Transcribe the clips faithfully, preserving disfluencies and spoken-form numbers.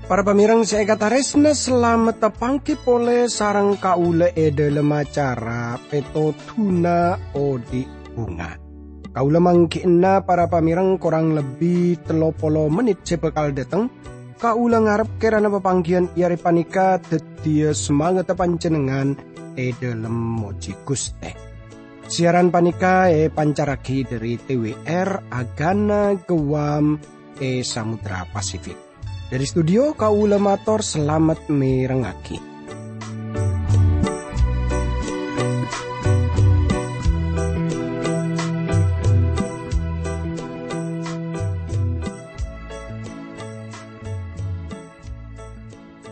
Para pamèrèng sè èkatarèsna, salamet tapangghi polè sareng kaulâ è dhâlem acara Pètodhuna Odi' Bhunga. Kaulâ mangghi'na para pamèrèng korang lebbi tello polo mennit sè bhâkal dâteng. Kaulâ ngarep kèrana papangghiyân è arè panèka dhâddhiyâ samangatta panjhennengngan è dhâlem mojhi Ghustè. Siaran panèka èpancarraghi dhâri T W R Agana Guam è Samudra Pasifik. Dhâri studio, kaulâ mator salamet mèrengngaghi.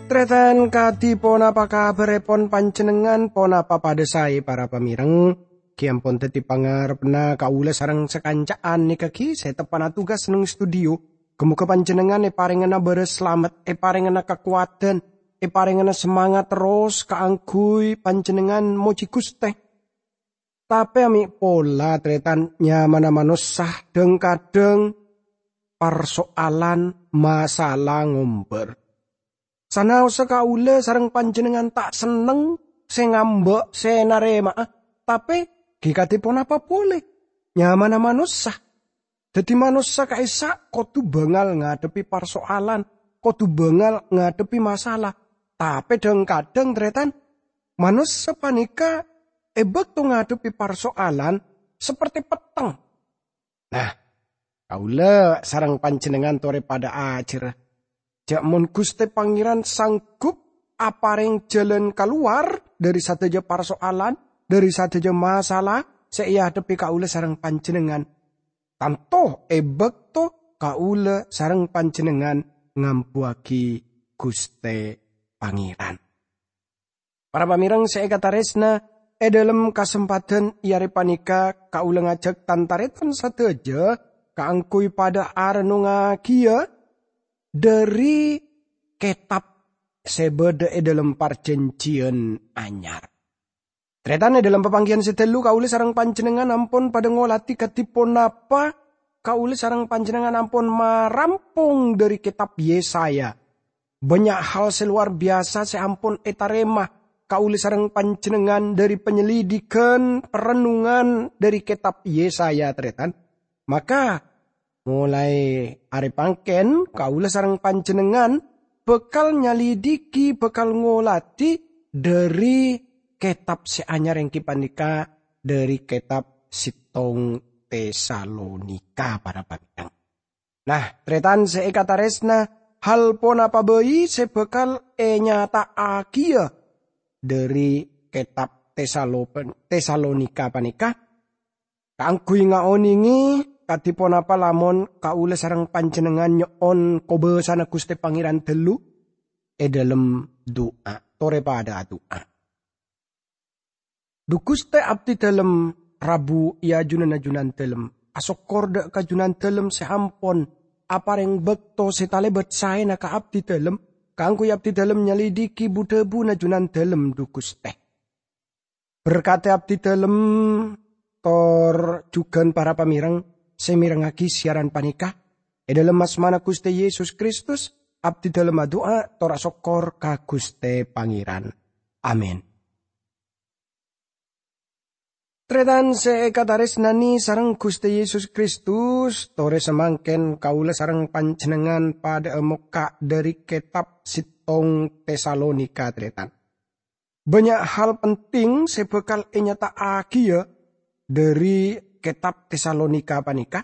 Tarètan, kadhi ponapa kabhârèpon panjhennengngan? Ponapa padhâ saè, para pamèrèng? Ghi ampon dhâddhi pangarebbhâ kaulâ sareng sakanca'an nèka ghi sè teppa'na tugas neng studio. Ghi-moghâ panjhennengngan èparèngana bârâs salamet, èparèngana kakowadhân, èparèngana samangat terros kaangghuy panjhennengngan mojhi Ghustè. Tapè amè' pola, tarètan, nyamana manossa dhâng-kadhâng parsoalan masalah ngombâr. Sanaossa kaulâ sareng panjhennengngan ta' senneng sè ngambâ', sè narèma'a, tapè ghi kadhi ponapa polè? Nyamana manossa. Dhâddhi manossa ka'issa' kodhu bângal ngadhebbhi parsoalan, kodhu bângal ngadhebbhi masalah. Tapè dhâng-kadhâng, tarètan, manossa panèka è bâkto ngadhebbhi parsoalan sapertè petteng. Nah, kaulâ sareng panjhennengngan torè padhâ ajhârâ, jhâ' mon Ghustè Pangèran sanggup aparèng jhâlân kalowar dhâri sadhâjâ parsoalan, dhâri sadhâjâ masalah sè èadhebbhi kaulâ sareng panjhennengngan, tanto è bâkto kaulâ sareng panjhennengngan ngambuwâghi Ghustè Pangèran. Para pamèrèng sè èkatarèsna, è dhâlem kasempadhân è arè panèka kaulâ ngajhâk tan-tarètan sadhâjâ kaangghuy padhâ arennongngaghiyâ dhâri kètab sè bâdâ è dhâlem Parjhânjhiyân Anyar. Tarètan, è dhâlem papangghiyân sè ghâllu kaulâ sareng panjhennengngan ampon padhâ ngolatè kadhi ponapa kaulâ sareng panjhennengngan ampon marampong dhâri kètab Yesaya. Bânnya' hal sè lowar biyasa sè ampon ètarèma kaulâ sareng panjhennengngan dhâri panyelidikan, parennungan dhâri kètab Yesaya, tarètan. Maka, molaè arè pangkèn, kaulâ sareng panjhennengngan bhâkal nyalidiki, bhâkal ngolatè dhâri kètab sè anyar, èngghi panèka dhâri kètab sèttong Tesalonika, para pamèrèng. Nah, tarètan sè èkatarèsna, hal ponapa bhâi sè bhâkal ènyata'aghiyâ dhâri kètab Tesalo-, Tesalonika panèka? Kaangghuy ngaonèngè kadhi ponapa lamon kaulâ sareng panjhennengngan nyo'on kobâsana Ghustè Pangèran ghâllu è dhâlem du'a, torè padhâ adu'a. Dhu Ghustè, abdhi dhâlem rabu è ajunanna Junandhâlem. Asokkor dhâ' ka Junandhâlem sè ampon aparèng bâkto sè talèbât saèna ka abdhi dhâlem, kaangghuy abdhi dhâlem nyalidiki bu-dhâbuna Junandhâlem, dhu Ghustè. Berkatè abdhi dhâlem tor jhughân para pamèrèng sè mèrengngaghi siaran panèka. È dhâlem asmana Ghustè Yesus Kristus, abdhi dhâlem adu'a tor asokkor ka Ghustè Pangèran. Amin. Tarètan sè èkatarèsnanè sareng Ghustè Yesus Kristus, torè samangkèn kaulâ sareng panjhennengngan padhâ'â mokka' dhâri kètab sèttong Tesalonika, tarètan. Bânnya' hal penting sè bhâkal ènyata'aghiyâ dhâri kètab Tesalonika panèka.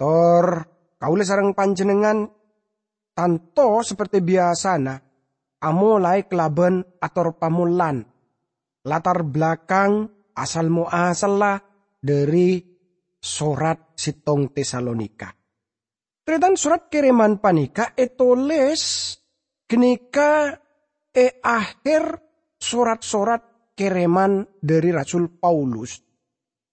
Tor kaulâ sareng panjhennengngan tanto sapertè biyasana amolaè kalabân ator pamollan latar belakang asal moasalla dhâri sorat sèttong Tesalonika. Tarètan, sorat kèrèman panèka ètolès ghânèka è aher sorat-sorat kèrèman dhâri Rasul Paulus,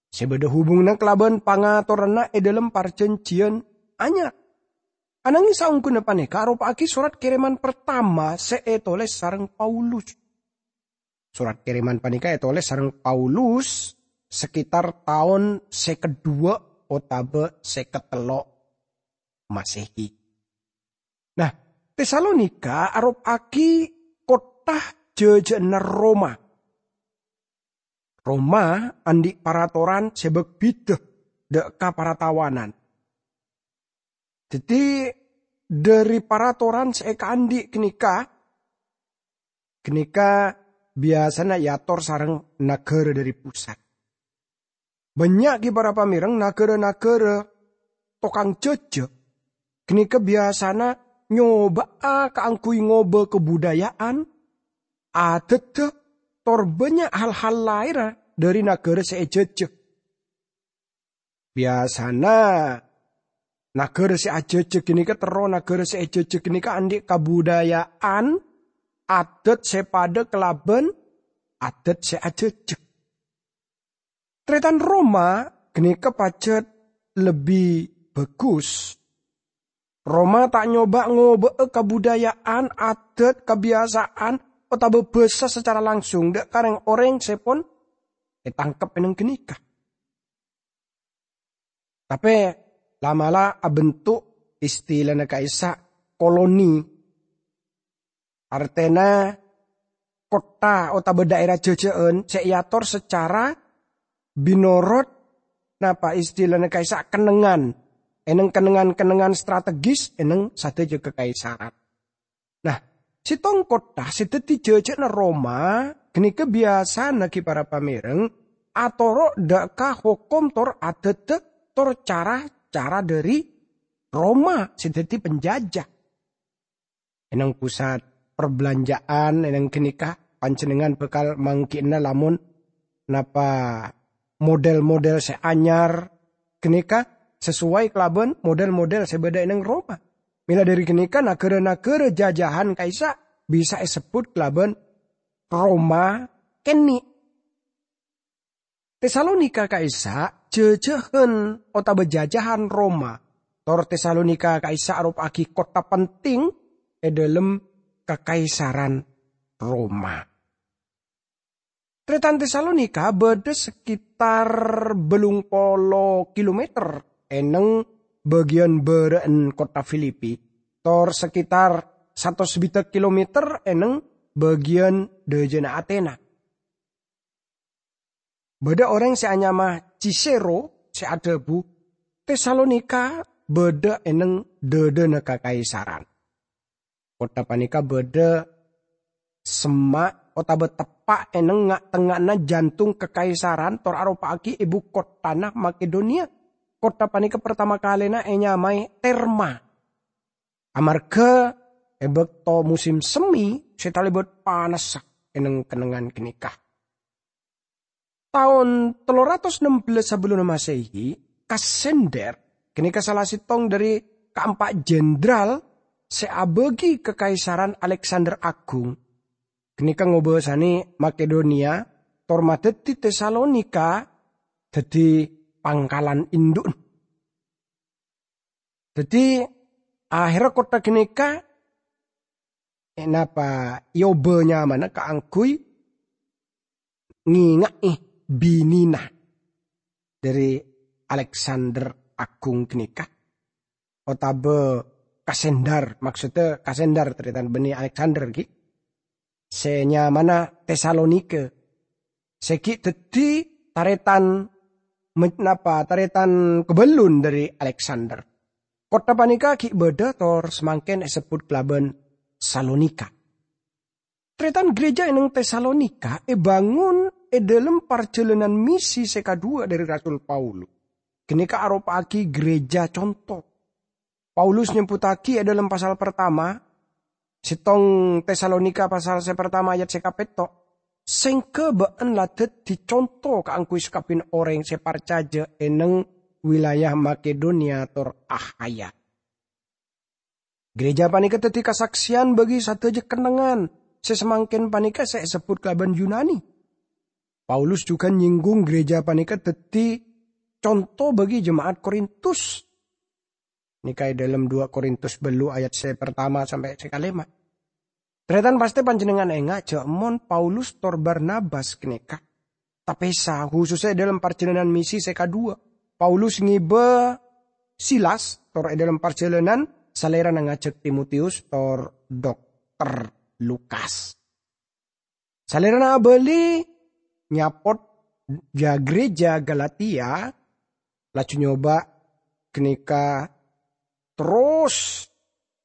sè bâdâ hubunganna kalabân pangatoranna è dhâlem Parjhânjhiyân Anyar. Ananging saongghuna panèka aropa'aghi sorat kèrèman partama sè ètolès sareng Paulus. Sorat kèrèman panèka ètolès sareng Paulus sekitar taon sè kedduwâ' otabâ sè katello' Masehi. Nah, Tesalonika aropa'aghi kottha jhâjhâ'ânna Roma. Roma andi' paratoran sè bâk-bhidhâ dâ' ka paratawanan. Dhâddhi, dhâri paratoran sè èkaandi' ghânèka, ghânèka biyasana èator sareng naghârâ dhâri pusat. Bânnya' ghi' para pamèreng naghârâ-naghârâ tokang jhâjhâ ghânèka biyasana nyoba'a kaangghuy ngobâ kabudaya'an, adâddhâ, tor bânnya' hal-hal laènna dhâri naghârâ sè èjhâjhâ. Biyasana naghârâ sè ajhâjhâ ghânèka terro naghârâ sè èjhâjhâ ghânèka andi' kabudaya'an, adât sè padâ kalabân adât sè ajhâjhâ. Tarètan Roma ghânèka pajhât lebbi bhâghus. Roma ta' nyoba ngobâ'â kabudaya'an, adât, kabiyasa'an, otabâ bhâsa sacara langsung dâ' ka rèng-orèng sè pon ètangkep è nèng ghânèka. Tapè la'-mala' abentuk istilana ka'issa' koloni. Artèna kottha otabâ dhaèra jhâjhâ'ân sè èator sacara binorot, napa istilana ka'issa', kennengngan. È nèng kennengngan-kennengngan strategis è nèng sadhâjâ kakaisaran. Nah, sèttong kottha sè dhâddhi jhâjhâ'ânna Roma ghânèka biyasana ghi' para pamèreng atoro' dâ' ka hokom tor adâddhâ tor cara-cara dhâri Roma sè dhâddhi penjajah. È nèng pusat parbelanjaan è nèng ghânèka panjhennengngan bhâkal mangghi'na lamon napa model-model sè anyar ghânèka sesuai kalabân model-model sè bâdâ è nèng Roma. Mèla dhâri ghânèka, naghârâ-naghârâ jhâjhâ'ân ka'issa' bisa èsebbhut kalabân Roma kènè'. Tesalonika ka'issa' jhâjhâ'ân otabâ jhâjhâ'ân Roma, tor Tesalonika ka'issa' aropa'aghi kottha penting è dhâlem kakaisaran Roma. Tarètan Tesalonika bâdâ sekitar bâllung polo kilometer è nèng bâgiyân bârâ'na kottha Filipi, tor sekitar satos sbidhâk kilometer è nèng bâgiyân dhâjâna Atena. Bâdâ orèng sè anyama Cicero sè adhâbu, "Tesalonika bâdâ è nèng dhâdhâna kakaisaran." Kottha panèka bâdâ semma' otabâ teppa' è nèng nga'-tengnga'anna jantung kakaisaran tor aropa'aghi èbu kottana Makedoniya. Kottha panèka partama kalèna ènyamaè Terma, amarghâ è bâkto musim semi sè talèbât panassa è nèng kennengngan ghânèka. Taon tello ratos nem bellâs sabellunna Masehi, Kasender, ghânèka sala sèttong dhâri kaempa' jenderal sè abâgi kakaisaran Aleksander Agung, ghânèka ngobâsanè Makedoniya tor madhâddhi Tesalonika dhâddhi pangkalan indu'na. Dhâddhi, aherra kottha ghânèka ènapa èobâ nyamana kaangghuy ngènga'è binèna dhâri Aleksander Agung ghânèka, otabâ Kasendar, maksoddhâ Kasendar tarètan bânnè Aleksander ghi', sè nyamana Tesalonika, sè ghi' dhâddhi tarètan me-, napa, tarètan kabellun dhâri Aleksander. Kottha panèka ghi' bâdâ tor samangkèn èsebbhut kalabân Salonika. Tarètan, ghârèjâ è nèng Tesalonika èbângon è dhâlem parjhâlânan misi sè kaduwâ dhâri Rasul Paulus. Ghânèka aropa'aghi ghârèjâ conto. Paulus nyebbuttaghi è dhâlem pasal partama, sèttong Tesalonika pasal sè partama ayat sè kapètto', "Sèngghâ bâ'na la dhâddhi conto kaangghuy sakabbiyanna orèng sè parcajâ è nèng wilayah Makedoniya tor Akhaya." Ghârèjâ panèka dhâddhi kasaksèyan bâgi sadhâjâ kennengngan sè samangkèn panèka sè èsebbhut kalabân Yunani. Paulus jhughân nyèngghung ghârèjâ panèka dhâddhi conto bâgi jema'at Korintus. Nèka è dâlem dua Korintus bâllu' ayat sè partama sampè' sè kalèma'. Tarètan, pastè panjhennengngan enga' jhâ' mon Paulus tor Barnabas ghânèka tapèsa, khusussa è dâlem parjhâlânan misi sè kadhuwâ'. Paulus ngèbâ Silas, tor è dâlem parjhâlânan Salèrana ngajhâk Timotius tor Dokter Lukas. Salèrana abâli nyapot jâ-, gereja Galatia, laju nyoba ghânèka terros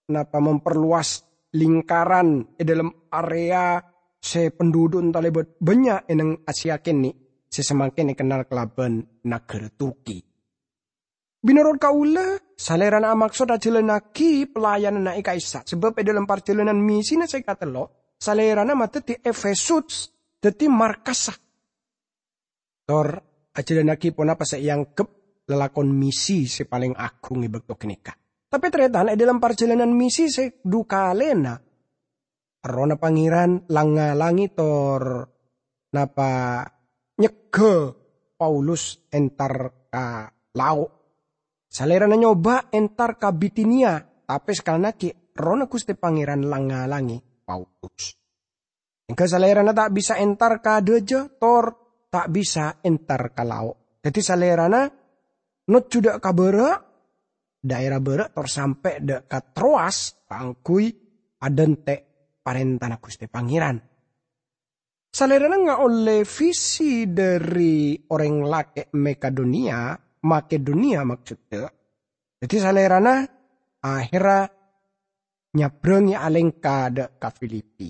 napa memperluas lingkaran è dâlem area sè penduduk talèbât bânnya' è neng Asia kènè', sè samangkèn èkennal kalabân naghârâ Turki. Mènorot kaulâ, Salèrana amaksod ajhâlânnaghi pelayananna è ka'issa', sabâb è dâlem parjhâlânan misina sè katello', Salèrana madhâddhi Efesus dhâddhi markassa, tor ajhâlânnaghi ponapa sè èangghep lalakon misi sè palèng agung è bâkto ghânèka. Tapè tarètan, è dâlem parjhâlânan misi sè dhu kalèna, Errohna Pangèran lang-ngalangè tor napa nyegghâ Paulus entar ka lao'. Salèrana nyoba entar ka Bitinia, tapè sakalèna ghi' Errohna Ghustè Pangèran lang-ngalangè Paulus. Èngghâ Salèrana ta' bisa entar ka dâjâ, tor ta' bisa entar ka lao'. Dhâddhi Salèrana nojjhu dâ' ka bârâ', dhaèra bârâ', tor sampè' dâ' ka Troas kaangghuy adhânte' parèntana Ghustè Pangèran. Salèrana ngaollè visi dhâri orèng lakè' Makedonia, Makedonia maksoddhâ. Dhâddhi Salèrana ahèrra nyabrangè alèngka dâ' ka Filipi.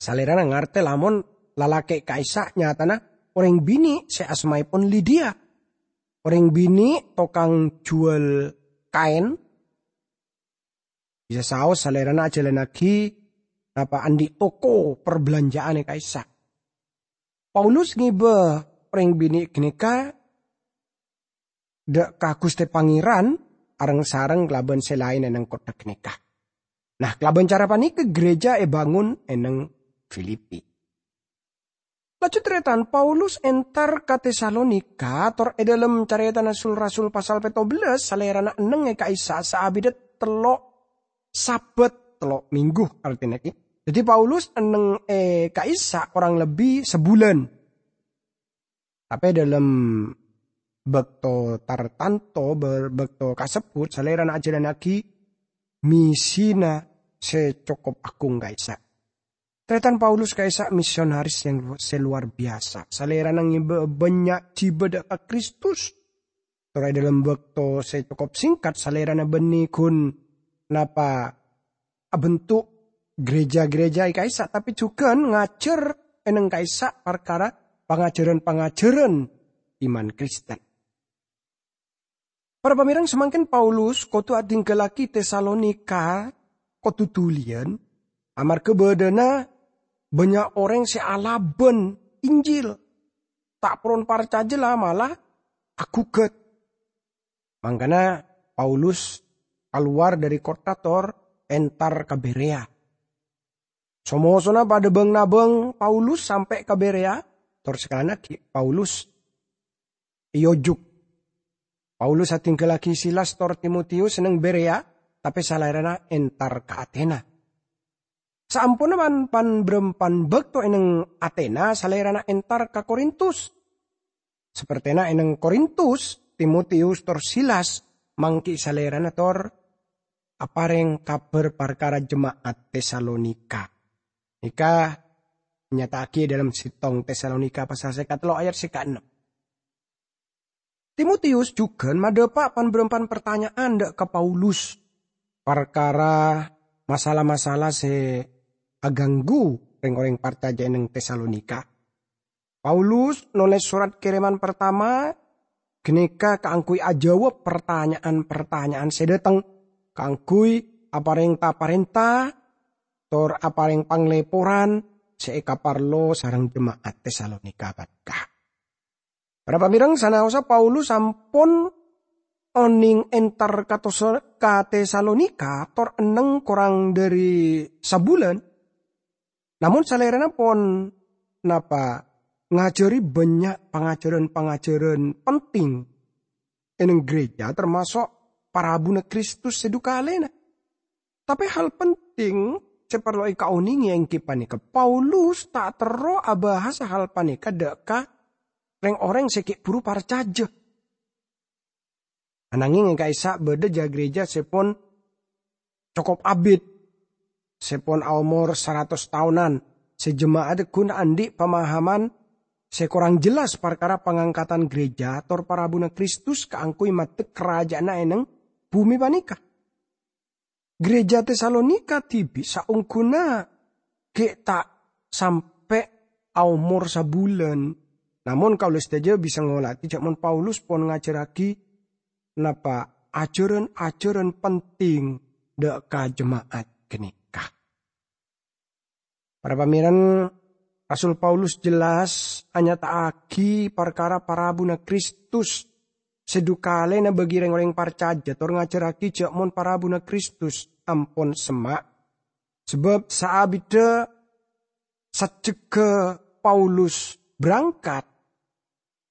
Salèrana ngartè lamon lalakè' ka'issa' nyatana orèng binè' sè asmaèpon Lidia. Orèng binè' tokang jhuwâl kaèn. Bisa saos Salèrana ajhâlânnaghi napa andi' toko parbalanja'an è ka'issa'. Paulus ngèbâ orèng binè' ghânèka dâ' ka Ghustè Pangèran areng-sareng kalabân sè laèn è neng kottha ghânèka. Nah, kalabân cara panèka gereja èbângon è neng Filipi. Laju tarètan, Paulus entar ka Tesalonika, tor è dâlem Carètana Sul-Rasul pasal pètto bellâs, Salèrana enneng è ka'issa' saabidhâ tello' Sabat, tello' mènggu artèna ghi. Dhâddhi Paulus enneng è ka'issa' korang lebbi sabulân. Tapè dâlem bâkto tartanto, bâ-, bâkto kasebbhut, Salèrana ajhâlânnaghi misina sè cokop agung ka'issa'. Tarètan, Paulus ka'issa' misionaris yang lu-, sè lowar biyasa. Salèrana ngèbâ bânnya' jhibâ dâ' ka Kristus. Tor è dâlem bâkto sè cokop sèngkat, Salèrana bânnè ghun napa abentuk gereja-gereja è ka'issa', tapè jhughân ngajhâr è neng ka'issa' parkara pangajhârân-pangajhârân iman Kristen. Para pamèreng, samangkèn Paulus kodhu adhingghâllaghi Tesalonika kodhu dhuliyân, amarghâ bâdâna bânnya' orèng sè alabân Injil, ta' poron parcajâ la malah aghugât. Mangkana Paulus kalowar dâri kottha tor entar ka Berea. So-mosona padâ bâng-nabâng Paulus sampè' ka Berea, tor sakalèna ghi' Paulus èojuk. Paulus adhingghâllaghi Silas tor Timotius è neng Berea, tapè Salèrana entar ka Atena. Saamponna pan-, pan-, bârâmpan bâkto è neng Atena, Salèrana entar ka Korintus. Sapertèna è neng Korintus, Timotius tor Silas mangghi Salèrana tor aparèng kabhâr parkara jema'at Tesalonika. Nèka ènyata'aghi è dâlem sèttong Tesalonika pasal sè katello' ayat sè kaennem. Timotius jhughân madhâpa' pan-bârâmpan partanya'an dâ' ka Paulus parkara masalah-masalah sè aghânggu rèng-orèng parcajâ è neng Tesalonika. Paulus nolès sorat kèrèman partama ghânèka kaangghuy ajâwâb partanya'an-partanya'an sè dâteng, kaangghuy aparèng ta-parènta tor aparèng panglèporan sè èkaparlo sareng jema'at Tesalonika panèka. Para pamèreng, sanaossa Paulus sampon onèng entar ka Tosa-, ka Tesalonika tor enneng korang dâri sabulân, namong salèrana pon napa ngajhâri bânnya' pangajhârân-pangajhârân penting è neng gereja, tamaso' parabuna Kristus sè dhu kalèna. Tapè hal penting sè parlo èkaonèngè èngghi panèka, Paulus ta' terro abahas hal panèka dâ' ka rèng-orèng sè ghi' bhuru parcajâ. Ananghèng è ka'issa' bâdâ jâ-, gereja sè pon cokop abit, sè pon aomor saratos taonan, sè jema'at ghun andi' pamahaman sè korang jelas parkara pangangkatan gereja tor parabuna Kristus kaangghuy maddek karaja'anna è neng bhumè panèka. Gereja Tesalonika dhibi' saongghuna ghi' ta' sampè' aomor sabulân. Namong kaulâ sadhâjâ bisa ngolatè jâ' mon Paulus pon ngajhârraghi napa ajhârân-ajhârân penting dâ' ka jema'at ghânèka. Para pamèrèn, Rasul Paulus jelas anyata'aghi parkara parabuna Kristus sè dhu kalèna bagi rèng-orèng parcajâ tor ngajhârraghi jâ' mon parabuna Kristus ampon semma'. Sabâb saabiddhâ sajjhegghâ Paulus berangkat,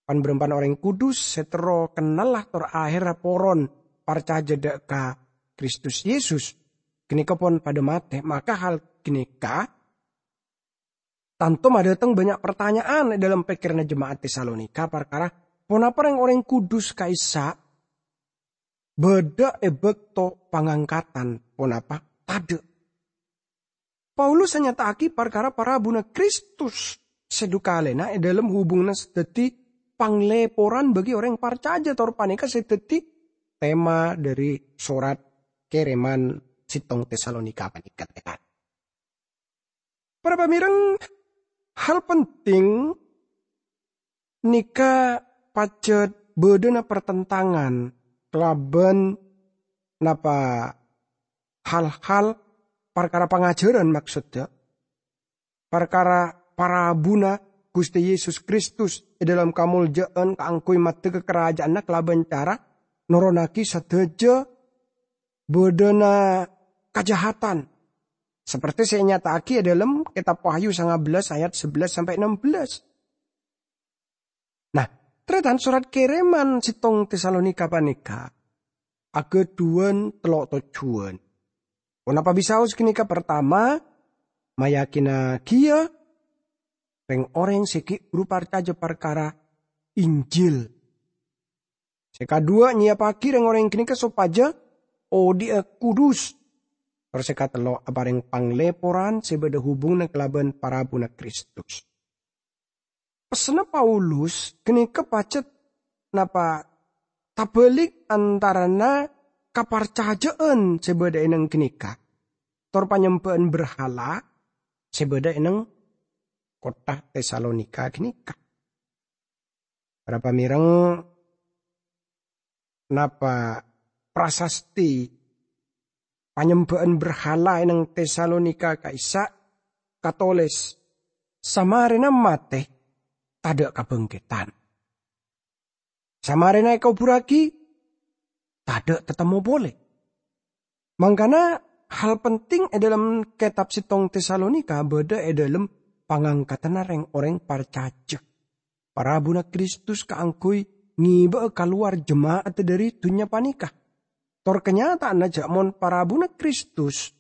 pan-bârâmpan orèng kudus sè terro kennalla tor aherra poron parcajâ dâ' ka Kristus Yesus ghânèka pon padâ matè, maka hal ghânèka tanto madâteng bânnya' partanya'an è dâlem pèkkèranna jema'at Tesalonika parkara ponapa rèng-orèng kudus ka'issa' bâdâ è bâkto pangangkatan, ponapa tadâ'. Paulus anyata'aghi parkara parabuna Kristus sè dhu kalèna è dâlem hubunganna sè dhâddhi panglèporan bagi orèng parcajâ, tor panèka sè dhâddhi tema dhâri sorat kèrèman sèttong Tesalonika panèka. Para pamèrèng, hal penting nèka pajhât bâdâna partentangan kalabân napa hal-hal parkara pangajhârân, maksodda parkara parabuna Ghustè Yesus Kristus è dâlem kamoljâ'ân kaangghuy maddhegghâ karaja'anna kalabân cara noronaghi sadhâjâ bâdâna kajahatan, saperti sè ènyata'aghi è dâlem Kètab Wahyu sanga bellâs ayat sabellâs sampè' ennem bellâs. Nah, tarètan, sorat kèrèman sèttong Tesalonika panèka aghâdhuwân tello' tojjhuwân. Ponapa bisaos ghânèka? Partama, mayakinnaghiyâ rèng-orèng sè ghi' bhuru parcajâ parkara Injil. Sè kadhuwâ', nyèyappaghi rèng-orèng ghânèka sopajâ odhi'â kudus. Tor sè katello', aparèng panglèporan sè bâdâ hubunganna kalabân parabuna Kristus. Pessenna Paulus ghânèka pajhât napa tabâlik antarana kaparcajâ'ân sè bâdâ è neng ghânèka tor panyembhâ'ân berhala sè bâdâ è neng kottha Tesalonika ghânèka. Para pamèrèng, napa prasasti panyembhâ'ân berhala è neng Tesalonika ka'issa' katolès, "Samarèna matè, tadâ' kabhângkèdhân. Samarèna èkobhurraghi, tadâ' tatemmo polè." Mangkana, hal penting è dâlem Kètab sèttong Tesalonika bâdâ è dâlem pangangkatanna rèng-orèng parcajâ. Parabuna Kristus kaangghuy ngèbâ'â kalowar jema'at dhâri dhunnya panèka. Tor kanyata'anna jâ' mon parabuna Kristus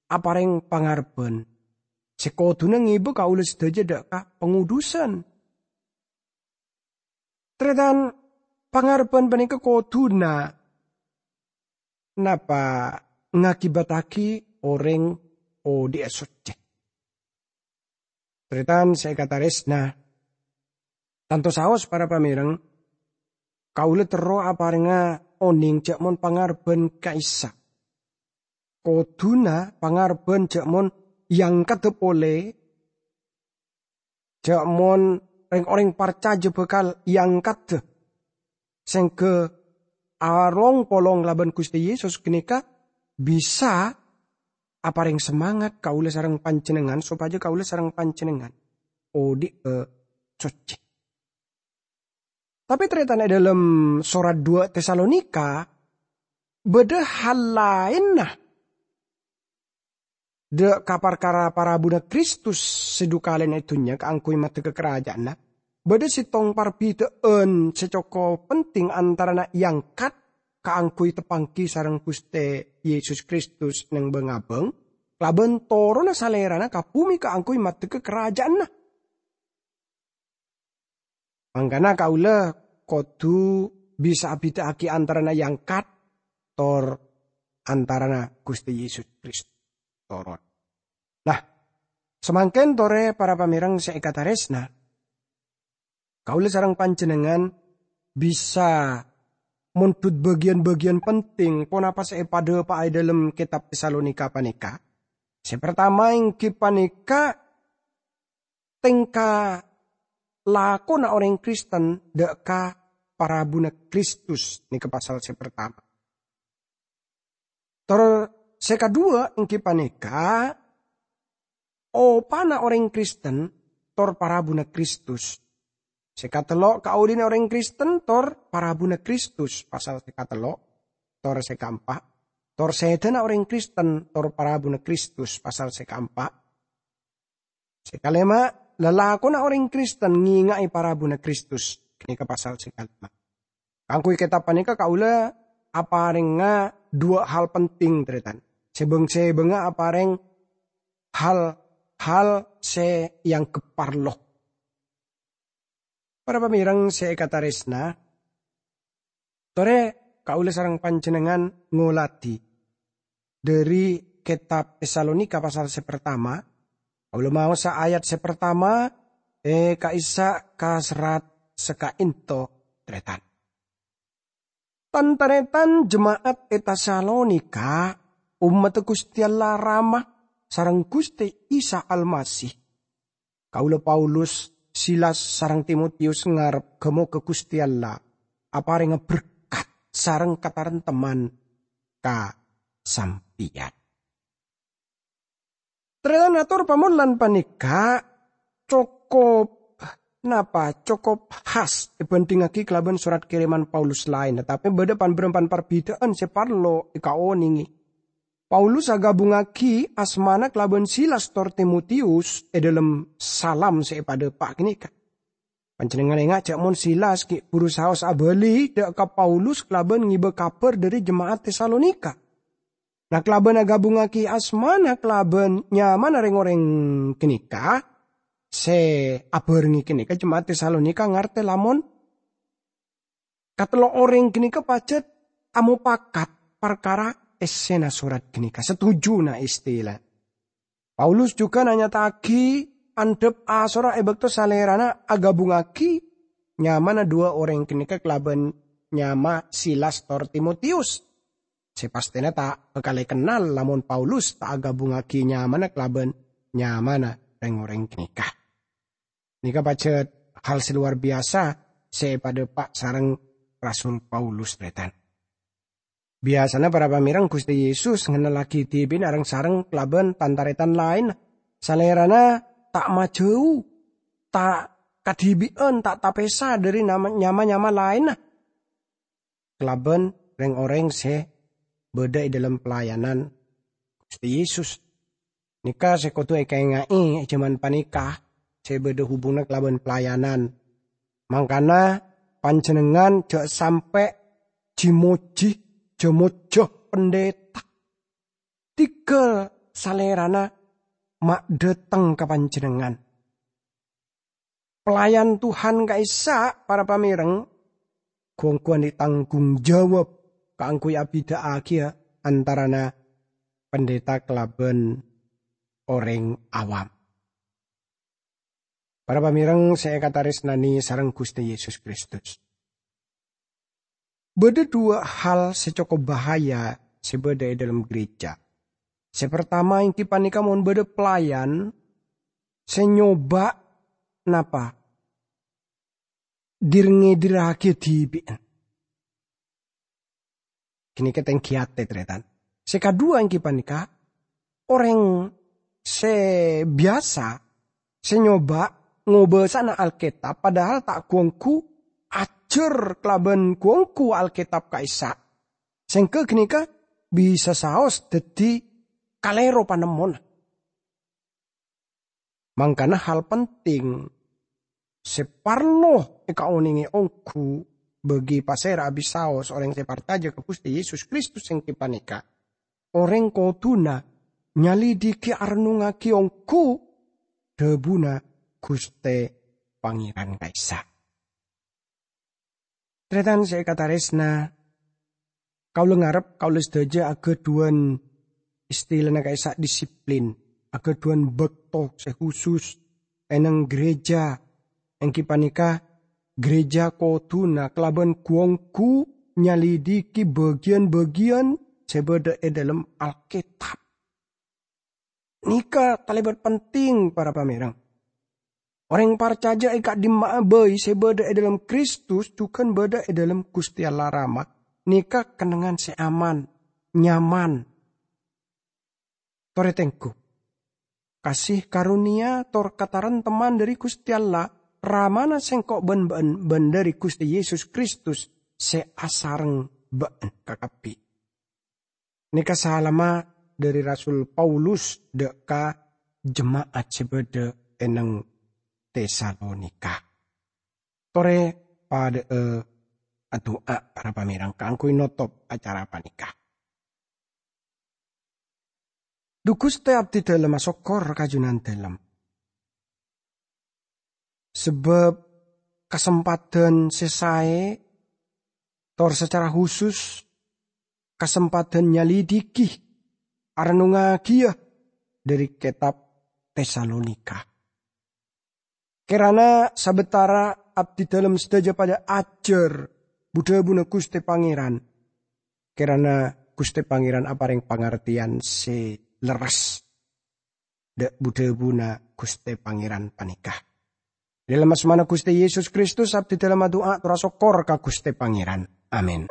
aparèng pangarebbhân sè kodhuna ngèbâ kaulâ sadhâjâ dâ' ka pangodhusan. Tarètan, pangarebbhân panèka kodhuna napa ngakibattaghi orèng odhi'â soccè. Tarètan sè èkatarèsna, tanto saos para pamèrèng, kaulâ terro aparèngnga onèng jâ' mon pangarebbhân ka'issa' kodhuna pangarebbhân jâ' mon èangkaddhâ polè, jâ' mon rèng-orèng parcajâ bhâkal èangkaddhâ, sèngghâ along-polong kalabân Ghustè Yesus ghânèka bisa aparèng semangat kaulâ sareng panjhennengngan sopajâ kaulâ sareng panjhennengngan odhi'â soccè. Tapè tarètan è dâlem sorat duwâ' Tesalonika, bâdâ hal laènna dâ' ka parkara parabuna Kristus sè dhu kalèna è dhunnya kaangghuy maddhegghâ karaja'anna. Bâdâ sèttong parbidhâ'ân sè cokop penting antarana èangkat kaangghuy teppangghi sareng Ghustè Yesus Kristus neng bâng-abâng, kalabân toronna Salèrana ka bhumè kaangghuy maddhegghâ karaja'anna. Mangkana kaulâ kodhu bisa abidhâ'aghi antarana èangkat tor antarana Ghustè Yesus Kristus toron. Nah, samangkèn torè para pamèreng sè èkatarèsna, kaulâ sareng panjhennengngan bisa mondhut bâgiyân-bâgiyân penting ponapa sè èpadhâpa'a è dhâlem kètab Tesalonika panèka. Sè partama èngghi panèka tèngka lakona orèng Kristen dâ' ka parabuna Kristus, nèka pasal sè partama. Tor sè kaduwâ èngghi panèka opana orèng Kristen tor parabuna Kristus. Sè katello' kaulina orèng Kristen tor parabuna Kristus, pasal sè katello', tor sè kaempa', tor sèdhâna orèng Kristen tor parabuna Kristus, pasal sè kaempa'. Sè kalèma', lalakonna orèng Kristen ngènga'è parabuna Kristus, ghânèka pasal sè kalèma'. Kaangghuy kètab panèka kaulâ aparèngnga duwâ' hal penting, tarètan. Sè bâng-sèbângnga aparèng hal-hal sè èangghep parlo. Para pamèreng sè èkatarèsna, torè kaulâ sareng panjhennengngan ngolatè dhâri kètab Tesalonika pasal sè partama, kaulâ maosa ayat sè partama, è, ka'issa' ka serrat sè ka'ènto, tarètan. Tan-tarètan jema'at è Tesalonika, ommaddhâ Ghustè Allah Rama sareng Ghustè Isa Almasih. Kaulâ Paulus, Silas sareng Timotiyus ngarep ghâ-moghâ Ghustè Allah aparèngnga berkat sareng kataremtemman ka sampèyan. Tarètan, ator pamollan panèka cokop, napa, cokop khas èbhândhingngaghi kalabân sorat kèrèman Paulus laènna, tapè bâdâ pan-bârâmpan parbidhâ'ân sè parlo èkaonèngè. Paulus aghâbungngaghi asmana kalabân Silas tor Timotiyus è dhâlem salam sè èpadhâpa' ghânèka. Panjhennengngan enga' jhâ' mon Silas ghi' buru saos abâli dâ' ka Paulus kalabân ngibâ kabhâr dhâri jema'at Tesalonika. Na, kalabân aghâbungngaghi asmana kalabân nyamana rèng-orèng ghânèka, sè abhârengngè ghânèka jema'at Tesalonika ngartè lamon katello' orèng ghânèka pajhât amopakat parkara èssèna sorat ghânèka, setuju na istilana. Paulus jhughân anyata'aghi andhâp asora è bâkto salèrana aghâbungngaghi nyamana duwâ' orèng ghânèka kalabân nyama Silas tor Timotiyus. Sè pastèna ta' bhâkal èkennal lamon Paulus ta' aghâbungngaghi nyamana kalabân nyamana rèng-orèng ghânèka. Nèka pajhât hal sè lowar biyasa sè èpadhâpa' sareng Rasul Paulus, tarètan. Biyasana para pamèreng Ghustè Yesus ngennallaghi dhibi'na reng-sareng kalabân tan-tarètan laènna. Salèrana ta' majhâu, ta' kadhibi'ân, ta' tapèsa dhâri nama-, nyama-nyama laènna. Kalabân rèng-orèng sè bâdâ è dhâlem pelayanan Ghustè Yesus. Nèka sè kodhu èkaènga'è è jhâman panèka sè bâdâ hubunganna kalabân pelayanan. Mangkana panjhennengngan jhâ' sampè' jhi-mojhi, jhâ-mojjhâ pendeta. Dhigghâl salèrana ma' dhâteng ka panjhennengngan. Pelayan Tuhan ka'issa', para pamèreng, gu-onggu andi' tanggung jawab kaangghuy abidhâ'âghiyâ antarana pendeta kalabân orèng awam. Para pamèreng sè èkatarèsnanè sareng Ghustè Yesus Kristus. Bâdâ duwâ' hal sè cokop bahaya sè bâdâ è dhâlem gereja. Sè partama èngghi panèka mon bâdâ pelayan sè nyoba napa? Dir-ngèdirraghi dhibi'na. Ghânèka tèngghi atè, tarètan. Sè kaduwâ èngghi panèka, orèng sè biyasa sè nyoba ngobâsana Alkètab, padahal ta' gu-onggu ajhâr kalabân gu-onggu Alkètab ka'issa'. Sèngghâ ghânèka bisa saos dhâddhi kalèro panemmona. Mangkana hal penting sè parlo èkaonèngè ongghu, bagi pasèra abisaos orèng sè parcajâ ka Ghustè Yesus Kristus ènggi panèka, orèng kodhuna nyalidiki arennungngaghi ongghu dhâbuna Ghustè Pangèran ka'issa'. Tarètan sè èkatarèsna, kaulâ ngarep kaulâ sadhâjâ aghâdhuwân istilana ka'issa' disiplin, aghâdhuwân bâkto sè husus è neng gereja, ènggi panèka gereja kodhuna kalabân gu-ongghu nyalidiki bâgiyân-bâgiyân sè bâdâ è dhâlem Alkètab. Nèka talèbât penting, para pamèreng. Orèng parcajâ è ka'dimma'a bhâi sè bâdâ è dhâlem Kristus jhughân bâdâ è dhâlem Ghustè Allah Rama, nèka kennengngan sè aman, nyaman. Torè tengghu. Kasè karonèya tor katarèmteman dhâri Ghustè Allah, Ramana sèngko' bân bâ'en, bân dhâri Ghustè Yesus Kristus sè asareng bâ'en kakabbhi. Nèka salamma dhâri Rasul Paulus dâ' ka jema'at sè bâdâ è neng Tesalonika. Torè padâ'â adu'a, para pamèreng, kaangghuy notop acara panèka. Dhu Ghustè, abdhi dhâlem asokkor ka Junandhâlem. Sabâb kasempadhân sè saè, tor sacara husus kasempadhân nyalidiki, arennungngagiyâ dhâri kètab Tesalonika. Kèrana sabâtara abdhi dhâlem sadhâjâ padâ ajhâr bu-dhâbuna Ghustè Pangèran. Kèrana Ghustè Pangèran aparèng pangartèyan sè lerres dâ' bu-dhâbuna Ghustè Pangèran panèka. Dhâlem asmana Ghustè Yesus Kristus, abdhi dhâlem adu'a tor asokkor ka Ghustè Pangèran. Amin.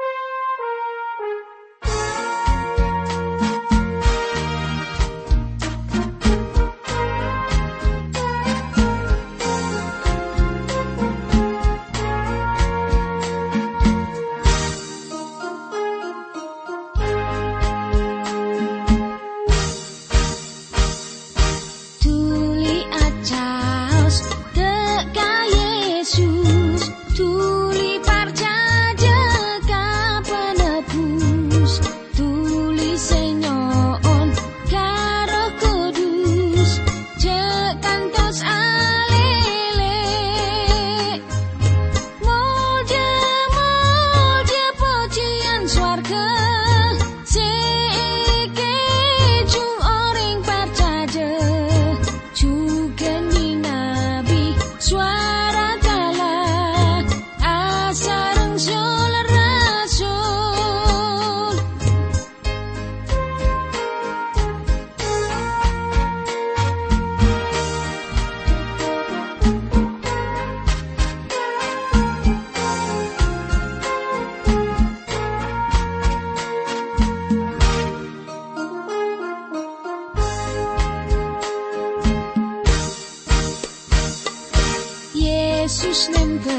Dhuli acaos dâ' ka Yesus, dhuli parcajâ ka Penebus, dhuli sè nyo'on ka Erroh Kudus, jhâ' kantos alèlè. Molja, molja, pojhiyân sowarghâ sè èkèjhung orèng parcajâ, jhughân nyinabi sowara kala asareng sul-rasul. Yesus nèmbâ